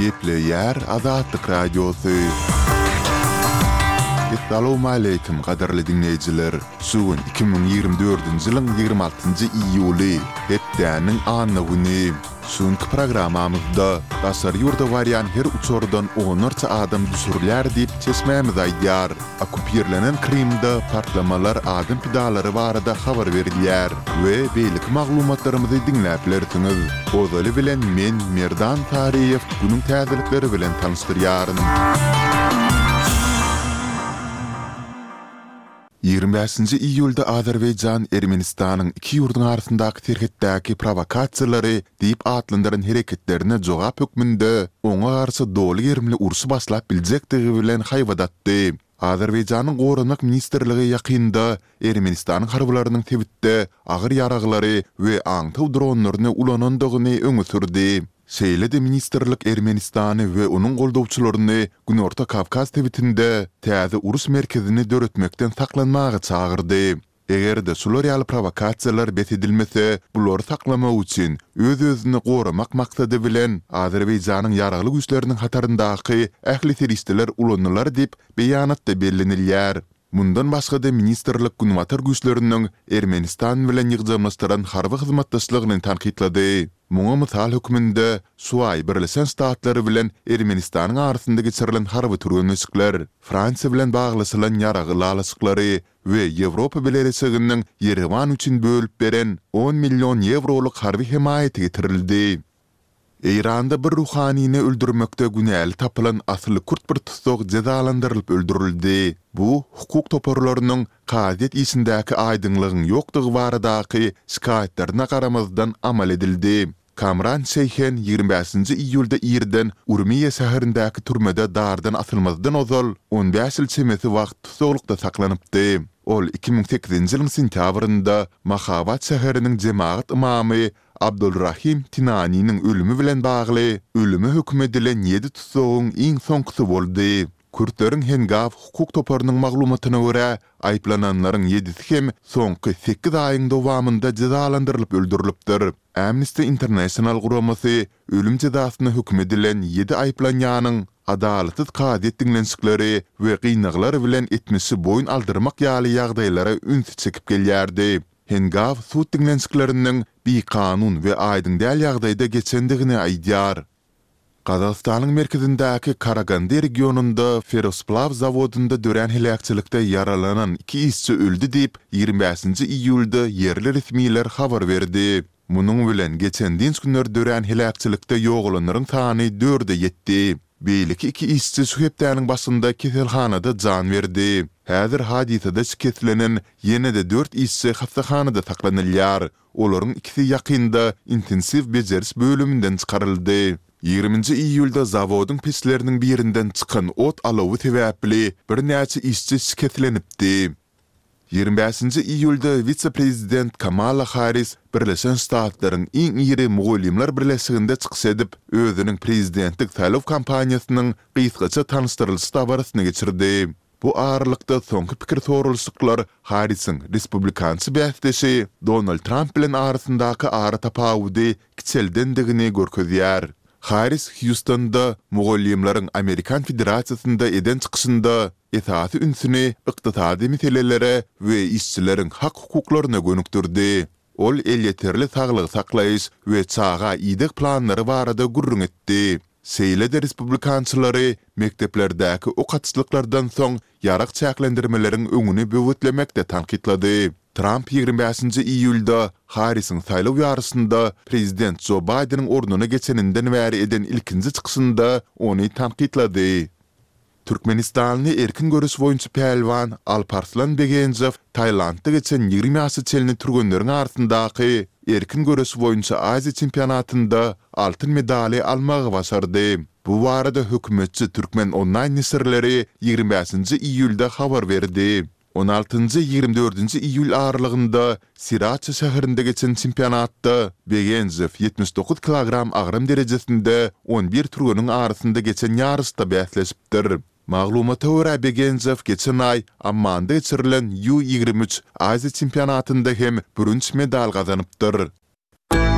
Gepleýär Azatlyk Radiosy. Essalawmaleýkim gadyrly diňleýjiler! Şu gün 2024-nji ýylyň 26-njy iýuly, hepdäniň anna güni. Şu günki programmamyzda daşary ýurda barýan her uçardan onlarça adam düşürilýär diýip çeşmämiz aýdýar. Okkupirlenen Krymda partlamalar adam pidalary barada habar berilýär we beýleki maglumatlarymyzy diňläp bilersiňiz. Ozaly bilen men Merdan Saryýew günüň täzelikleri bilen tanyşdyrýaryn. 25-nji iýulda Azerbaýjan Ermenistanyň iki ýurduň arasyndaky serhetdäki prowokasiýalary diýip atlandyran hereketlerine jogap hökmünde oňa garşy doly gerimli urşy başlap biljekdigi bilen haýbat atdy. Azerbaýjanyň Goranmak ministrligi ýakynda Ermenistanyň harbylarynyň sebitde agyr ýaraglary we aňtaw dronlaryny ulanandygyny öňe sürdi. Şeýle-de ministrlik Ermenistany we onuň goldawçylaryny Günorta Kawkaz sebitinde täze uruş merkezini döretmekden saklanmaga çagyrdy. Eger-de şular ýaly prowokasiýalar bes edilmese, bulary saklamak üçin öz-özüni goramak maksady bilen Azerbaýjanyň ýaragly güýçleriniň hataryndaky ähli serişdeler ulanylar diýip, beýanatda bellenilýär. Mundan başga-da ministrlik Günbatar güýçleriniň Ermenistan bilen ýygjamlaşdyran harby hyzmatdaşlygyny tankytlady. Muňa mysal hökmünde şu aý Birleşen Ştatlary bilen Ermenistanyň arasynda geçirilen harby türgenleşikler, Fransiýa bilen baglaşylan ýarag ylalaşyklary we Ýewropa Bileleşiginiň Ýerewan üçin bölüp beren on million ýewrolyk harby hemaýaty getirildi. Eýranda bir ruhanyny öldürmekde günäli tapylan asyly kürt bir tussag jezalandyrylyp öldürildi. Bu, hukuk toparlarynyň kazyýet işindäki aýdyňlygyň ýokdugy baradaky şikaýatlaryna garamazdan amal edildi. Kamran Şeýhen 25-nji iýulda irden Urmiýe şäherindäki türmede dardan asylmazdan ozal on bäş ýyl çemesi wagt tussaglykda saklanypdy. Ol 2008-nji ýylyň sentýabrynda Mahabat şäheriniň jemagat ymamy Abdulrahim Tinaniniň ölümi bilen bagly ölüme höküm edilen ýedi tussagyň iň soňkusy boldy. Kürtleriň Hengaw hukuk toparynyň maglumatyna görä, aýyplananlaryň ýedisi hem soňky sekiz aýyň dowamynda jezalandyrylyp öldürilipdir. Amnesty International guramasy ölüm jezasyna höküm edilen ýedi aýyplanýanyň adalatsyz kazyýet diňlenişikleri we gynaglar bilen etmişi boýun aldyrmak ýaly ýagdaýlara ünsi çekip gelýärdi. Hengaw sud diňlenişikleriniň bikanun we aýdyň däl ýagdaýda geçendigini aýdýar. Gazagystanyň merkezindäki Karagandy regionynda ferrosplaw zawodynda dörän heläkçilikde ýaralanan iki işçi öldi diýip, 25-nji iýulda ýerli resmiler habar berdi. Munuň bilen, geçen dynç günleri dörän heläkçilikde ýogalanlaryň sany dörde ýetdi. Beýleki iki işçi şu hepdäniň başynda keselhanada jan berdi. Häzir hadysada şikeslenen ýene-de dört işçi hassahanada saklanylýar. Olaryň ikisi ýakynda intensiw bejeriş bölüminden çykaryldy. Ýigriminji iýulda zawodyň peçleriniň birinden çykan ot alawy sebäpli birnäçe işçi şikeslenipdi. 25-nji iýulda wise-prezident Kamala Harris Birleşen Ştatlaryň iň iri mugallymlar birleşiginde çykyş edip, özüniň prezidentlik saýlaw kampaniýasynyň gysgaça tanyşdyrylyş dabarasyny geçirdi. Bu aralykda soňky pikir soralyşyklar Harrisiň respublikançy bäsdeşi Donald Tramp bilen arasyndaky aratapawudy kiçeldendigini görkezýär. Harris Hýustonda mugallymlaryň Amerikan federasiýasynda eden çykyşynda esasy ünsüni ykdysady meselelere we işçileriň hak-hukuklaryna gönükdirdi. Ol elýeterli saglygy saklaýyş we çaga ideg planlary barada gürrüň etdi. Şeýle-de respublikançylary mekdeplerdäki ok atyşlyklardan soň ýarag çäklendirmeleriň öňüni böwetlemekde tankytlady. Tramp 25-nji iýulda Harrisiň saýlaw ýaryşynda prezident Jo Baýdeniň ornuna geçeninden bäri eden ilkinji çykyşynda ony tankytlady. Türkmenistanly erkin göreş boýunça pälwan Alparslan Begenjow Tailandda geçen 20 ýaşa çenli türgenleriň arasyndaky erkin göreş boýunça Aziýa çempionatynda altyn medaly almagy başardy. Bu barada hökümetçi Türkmen onlaýn neşirleri 25-nji iýulda habar berdi. On altynjy, 24-nji iýul aralygynda Siraça şäherinde geçen çempionatda Begenjow 79 kilogram agram derejesinde on bir türgeniň arasynda geçen ýaryşda bäsleşipdir. Maglumata görä, Begenjow geçen aý Ammanda geçirilen U 23 Aziýa çempionatynda hem bürünç medal gazanypdyr.